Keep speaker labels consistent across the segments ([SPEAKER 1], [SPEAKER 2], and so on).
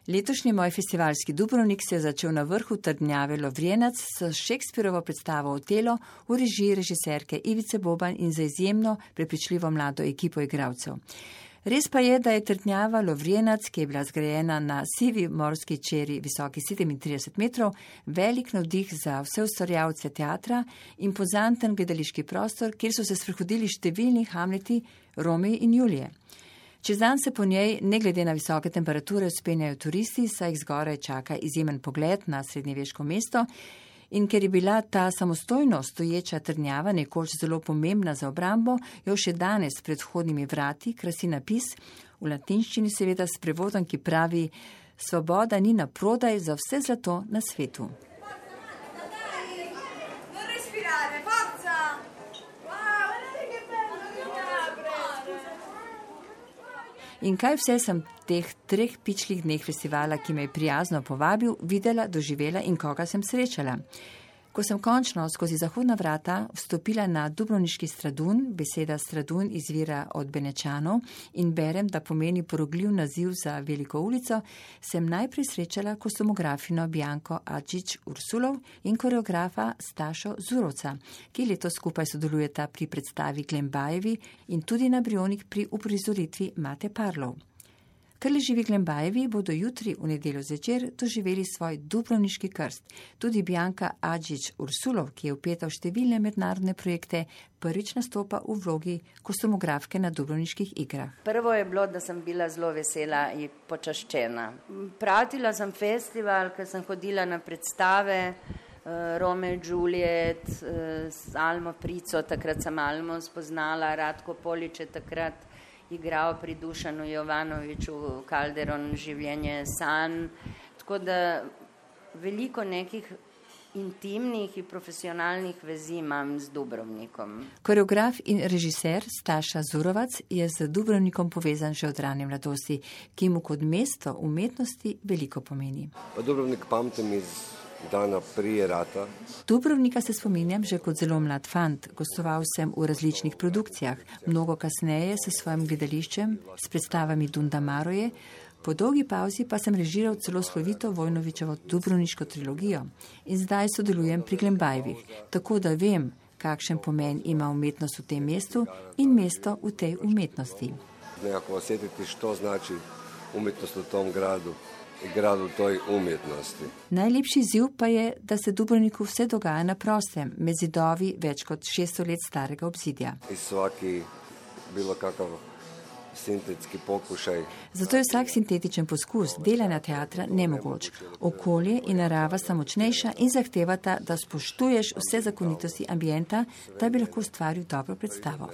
[SPEAKER 1] Letošnji moj festivalski Dubrovnik se je začel na vrhu trdnjave Lovrijenac s Shakespearovo predstavo Otelo v režiji režiserke Ivice Boban in za izjemno prepričljivo mlado ekipo igralcev. Res pa je, da je trdnjava Lovrijenac, ki je bila zgrajena na sivi morski čeri visoki 37 metrov, velik navdih za vse ustvarjalce teatra in pozanten gledališki prostor, kjer so se sprehodili številni Hamleti, Romeo in Julije. Čez dan se po njej, ne glede na visoke temperature, vzpenjajo turisti, saj jih zgoraj čaka izjemen pogled na srednjeveško mesto. In ker je bila ta samostojno stoječa trdnjava nekoč zelo pomembna za obrambo, jo še danes pred vhodnimi vrati krasi napis, v latinščini seveda s prevodom, ki pravi: Svoboda ni na prodaj za vse zlato na svetu. In kaj vse sem teh 3 pičlih dneh festivala, ki me je prijazno povabil, videla, doživela in koga sem srečala. Ko sem končno skozi zahodna vrata vstopila na dubrovniški Stradun, beseda Stradun izvira od Benečanov in berem, da pomeni porogljiv naziv za veliko ulico, sem najprej srečala kostumografino Bianco Adžič Ursulov in koreografa Stašo Zurovca, ki letos skupaj sodelujeta pri predstavi Glembajevi in tudi na Brionik pri uprizoritvi Mate Parlov. Krleživi Glembajevi bodo jutri v nedeljo zvečer doživeli svoj dubrovniški krst. Tudi Bianca Adžič Ursulov, ki je vpeta v številne mednarodne projekte, prvič nastopa v vlogi kostumografke na dubrovniških igrah.
[SPEAKER 2] Prvo je bilo, da sem bila zelo vesela in počaščena. Pratila sem festival, ker sem hodila na predstave Romeo in Juliet, z Almo Prico, takrat sem Almo spoznala, Ratko Polič je takrat igral pri Dušanu Jovanoviču Calderon Življenje sanj, tako da veliko nekih intimnih in profesionalnih vezi imam z Dubrovnikom.
[SPEAKER 1] Koreograf in režiser Staša Zurovac je z Dubrovnikom povezan že od rane mladosti, ki mu kot mesto umetnosti veliko pomeni.
[SPEAKER 3] Pa Dubrovnik pamtim iz dana prije rata.
[SPEAKER 1] Dubrovnika se spominjam že kot zelo mlad fant. Gostoval sem v različnih produkcijah, mnogo kasneje s svojim gledališčem, s predstavami Dunda Maroje. Po dolgi pauzi pa sem režiral celo slovito Vojnovičevo Dubrovniško trilogijo in zdaj sodelujem pri Glembajevih, tako da vem, kakšen pomen ima umetnost v tem mestu in mesto v tej umetnosti.
[SPEAKER 3] Nekako osjetiti, što znači umetnost v tom gradu toj umjetnosti.
[SPEAKER 1] Najlepši izziv pa je, da se Dubrovniku vse dogaja na prostem, med zidovi več kot 600 let starega obzidja.
[SPEAKER 3] I svaki bilo kakav sintetski pokušaj.
[SPEAKER 1] Zato je vsak sintetičen poskus delanja teatra nemogoč. Okolje in narava sta močnejša in zahtevata, da spoštuješ vse zakonitosti ambienta, da bi lahko ustvaril dobro predstavo.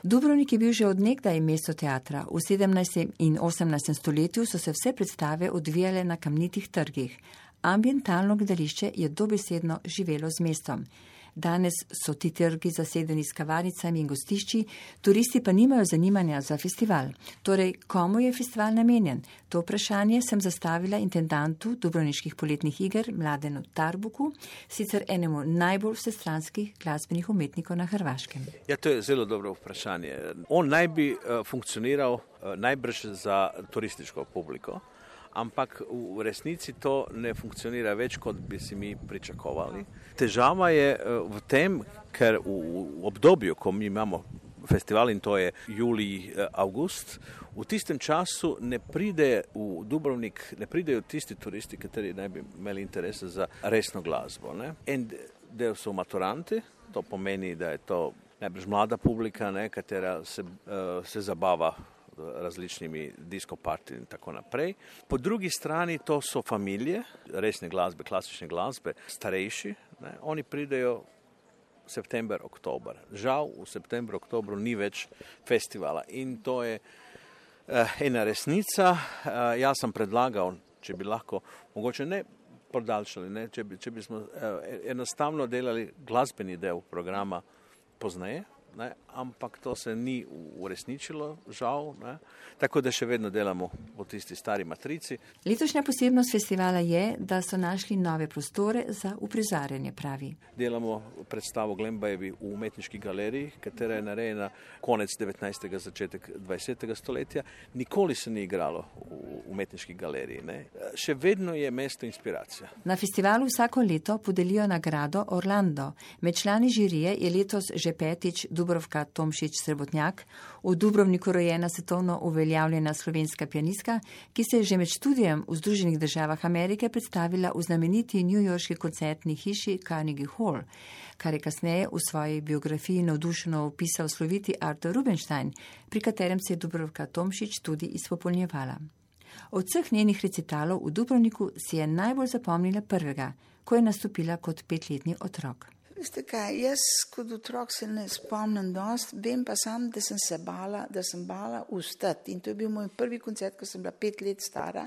[SPEAKER 1] Dubrovnik je bil že od nekdaj mesto teatra. V 17. in 18. stoletju so se vse predstave odvijale na kamnitih trgih. Ambientalno gledališče je dobesedno živelo z mestom. Danes so ti trgi zasedeni s kavarnicami in gostišči, turisti pa nimajo zanimanja za festival. Torej, komu je festival namenjen? To vprašanje sem zastavila intendantu Dubrovniških poletnih iger Mladenu Tarbuku, sicer enemu najbolj vsestranskih glasbenih umetnikov na Hrvaškem.
[SPEAKER 4] Ja, to je zelo dobro vprašanje. On naj bi funkcioniral najbrž za turističko publiko, ampak v resnici to ne funkcionira več, kot bi si mi pričakovali. Težava je v tem, ker v obdobju, ko mi imamo festival in to je julij, august, v tistem času ne pride v Dubrovnik, ne pridejo tisti turisti, kateri naj bi imeli interese za resno glasbo. Ne? En del so maturanti, to pomeni, da je to najbrž mlada publika, ne, katera se zabava različnimi disco party in tako naprej. Po drugi strani to so familije, resne glasbe, klasične glasbe, starejši, ne, oni pridejo september, oktober. Žal v septembru, oktobru ni več festivala in to je ena resnica. Jaz sem predlagal, če bi lahko, mogoče ne podaljšali, ne, če bi smo enostavno delali glasbeni del programa pozneje, ne, ampak to se ni uresničilo, žal, ne, tako da še vedno delamo po tisti stari matrici.
[SPEAKER 1] Letošnja posebnost festivala je, da so našli nove prostore za uprizarjanje, pravi.
[SPEAKER 4] Delamo predstavo Glembajevi v umetniški galeriji, katera je narejena konec 19. začetek 20. stoletja. Nikoli se ni igralo v umetniški galeriji. Ne. Še vedno je mesto inspiracija.
[SPEAKER 1] Na festivalu vsako leto podelijo nagrado Orlando. Med člani žirije je letos že 5. Dubravka Tomšič Srebotnjak, v Dubrovniku rojena svetovno uveljavljena slovenska pianistka, ki se je že med študijem v Združenih državah Amerike predstavila v znameniti newyorški koncertni hiši Carnegie Hall, kar je kasneje v svoji biografiji navdušeno opisal sloviti Arthur Rubinstein, pri katerem se je Dubravka Tomšič tudi izpopolnjevala. Od vseh njenih recitalov v Dubrovniku si je najbolj zapomnila prvega, ko je nastopila kot 5-letni otrok.
[SPEAKER 5] Veste kaj, jaz kot otrok se ne spomnim dost, vem pa sam, da sem se bala, vstati. In to je bil moj prvi koncert, ko sem bila 5 let stara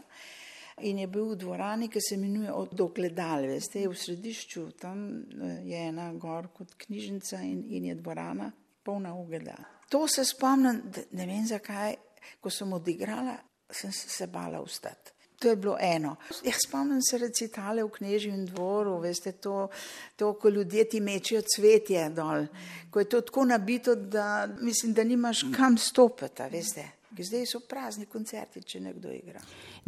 [SPEAKER 5] in je bil v dvorani, ki se imenuje Od ogledal, veste, je v središču, tam je ena gor kot knjižnica in je dvorana polna ogledal. To se spomnim, ne vem zakaj, ko sem odigrala, sem se bala vstati. To je bilo eno. Jaz spomnim se recitale v Knežjem dvoru, veste, to, ko ljudje ti mečejo cvetje dol, ko je to tako nabito, da mislim, da nimaš kam stopiti, veste. Zdaj so prazni koncerti, če nekdo igra.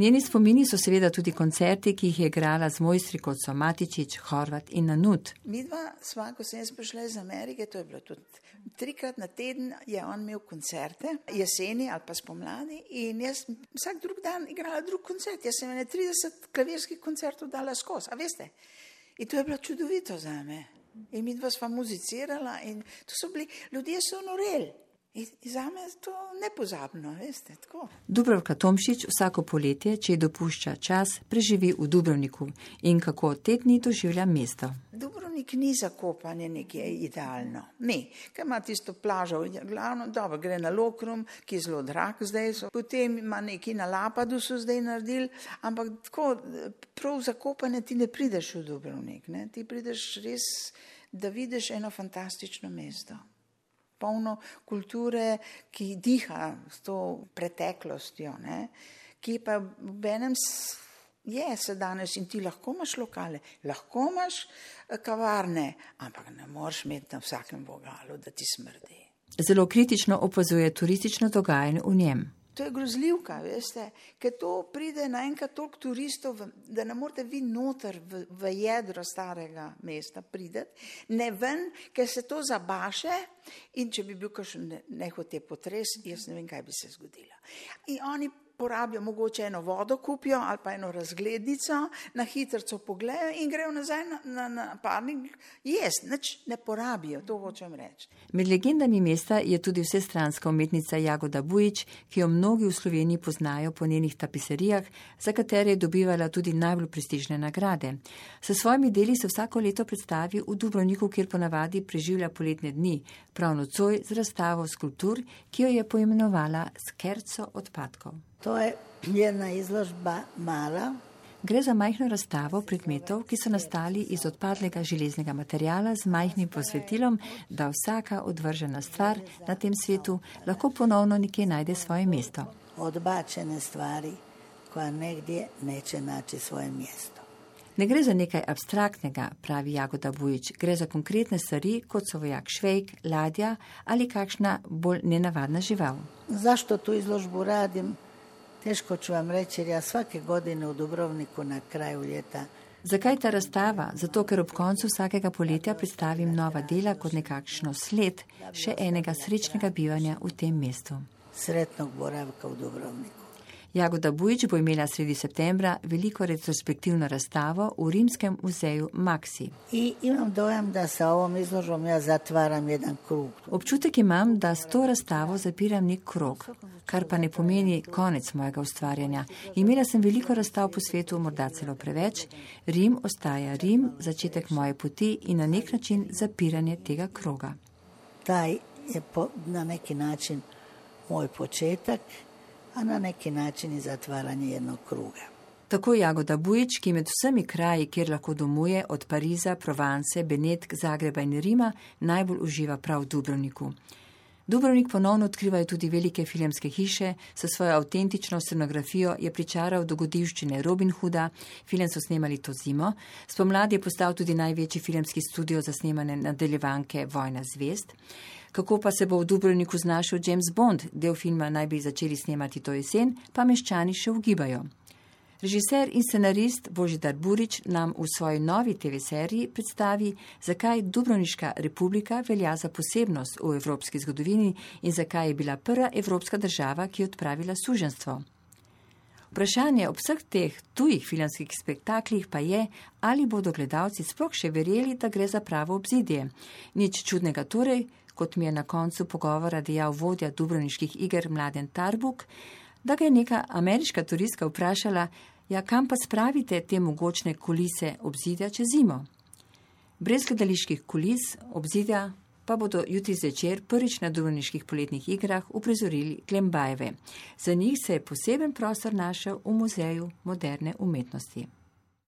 [SPEAKER 1] Njeni spomini so seveda tudi koncerti, ki jih je igrala z mojstri kot so Matičič, Horvat in Nanut.
[SPEAKER 5] Midva sva, ko sem jaz prišla iz Amerike, to je bilo tudi 3-krat na teden, je on imel koncerte, jeseni ali pa spomladi, in jaz vsak drug dan igrala drug koncert. Jaz sem 30 klavirskih koncertov dala skozi, a veste? In to je bilo čudovito za me. In midva sva muzicirala in to so bili, ljudje so noreli. In zame je to nepozabno, veste, tako.
[SPEAKER 1] Dubravka Tomšič vsako poletje, če ji dopušča čas, preživi v Dubrovniku in kako te dni doživlja mesto.
[SPEAKER 5] Dubrovnik ni za kopanje nekje idealno. Ne, ker ima tisto plažo, glavno, dobro, gre na Lokrum, ki je zelo drag zdaj, potem ima neki na Lapadu so zdaj naredili, ampak tako, prav za kopanje ti ne prideš v Dubrovnik, ne? Ti prideš res, da vidiš eno fantastično mesto. Polno kulture, ki diha s to preteklostjo, ne? Ki pa v enem je se danes in ti lahko imaš lokale, lahko imaš kavarne, ampak ne moreš imeti na vsakem vogalu, da ti smrdi.
[SPEAKER 1] Zelo kritično opazuje turistično dogajanje v njem.
[SPEAKER 5] To je grozljivka, veste, ker to pride naenkrat toliko turistov, da ne morete vi noter v jedro starega mesta prideti, ne ven, ker se to zabaše in če bi bil kakšen nehote potres, jaz ne vem, kaj bi se zgodilo. In oni porabijo, mogoče eno vodo kupijo ali pa eno razglednico, na hitrco pogledajo in grejo nazaj na parnik jesti, nič ne porabijo, to hočem reči.
[SPEAKER 1] Med legendami mesta je tudi vsestranska umetnica Jagoda Bujič, ki jo mnogi v Sloveniji poznajo po njenih tapiserijah, za katere je dobivala tudi najbolj prestižne nagrade. S svojimi deli se vsako leto predstavi v Dubrovniku, kjer ponavadi preživlja poletne dni, prav nocoj z razstavo skulptur, ki jo je poimenovala Skerco odpadkov.
[SPEAKER 6] To je jedna izložba mala.
[SPEAKER 1] Gre za majhno razstavo predmetov, ki so nastali iz odpadlega železnega materiala z majhnim posvetilom, da vsaka odvržena stvar na tem svetu lahko ponovno nekje najde svoje mesto.
[SPEAKER 6] Odbačene stvari, koja negdje neće naći svoje mjesto.
[SPEAKER 1] Ne gre za nekaj abstraktnega, pravi Jagoda Bujič, gre za konkretne stvari, kot so vojak švejk, ladja ali kakšna bolj nenavadna žival.
[SPEAKER 6] Zašto tu izložbu radim? Teško ću vam reći, jer ja svake godine u Dubrovniku na kraju ljeta.
[SPEAKER 1] Zakaj ta razstava? Zato, ker ob koncu vsakega poletja predstavim nova dela kot nekakšno sled še enega srečnega bivanja v tem mestu.
[SPEAKER 6] Sretnog boravka u Dubrovniku.
[SPEAKER 1] Jagoda Bujič bo imela sredi septembra veliko retrospektivno razstavo v Rimskem muzeju Maxi.
[SPEAKER 6] I imam dojam da sa ovom izložbom ja zatvaram jedan krug.
[SPEAKER 1] Občutek imam, da s to razstavo zapiram nek krog, kar pa ne pomeni konec mojega ustvarjanja. Imela sem veliko razstav po svetu, morda celo preveč. Rim ostaja Rim, začetek moje poti in na nek način zapiranje tega kroga.
[SPEAKER 6] Taj je na neki način moj početak, a na neki način i zatvaranje jednog kruga.
[SPEAKER 1] Tako Jagoda Bujič, ki med vsemi kraji, kjer lahko domuje, od Pariza, Provence, Benetk, Zagreba in Rima, najbolj uživa prav v Dubrovniku. Dubrovnik ponovno odkrivajo tudi velike filmske hiše, s svojo avtentično scenografijo je pričaral dogodivščine Robin Hooda, film so snemali to zimo, spomladi je postal tudi največji filmski studio za snemanje nadaljevanke Vojna zvezd. Kako pa se bo v Dubrovniku znašel James Bond, del filma naj bi začeli snemati to jesen, pa meščani še ugibajo. Režiser in scenarist Božidar Burič nam v svoji novi TV seriji predstavi, zakaj Dubrovniška republika velja za posebnost v evropski zgodovini in zakaj je bila prva evropska država, ki je odpravila suženjstvo. Vprašanje ob vseh teh tujih filmskih spektaklih pa je, ali bodo gledalci sploh še verjeli, da gre za pravo obzidje. Nič čudnega torej, kot mi je na koncu pogovora dejal vodja Dubrovniških iger Mladen Tarbuk, da ga je neka ameriška turistka vprašala, ja, kam pa spravite te mogočne kulise obzidja čez zimo? Brez gledaliških kulis obzidja pa bodo jutri zvečer prvič na Dubrovniških poletnih igrah uprizorili Glembajeve. Za njih se je poseben prostor našel v Muzeju moderne umetnosti.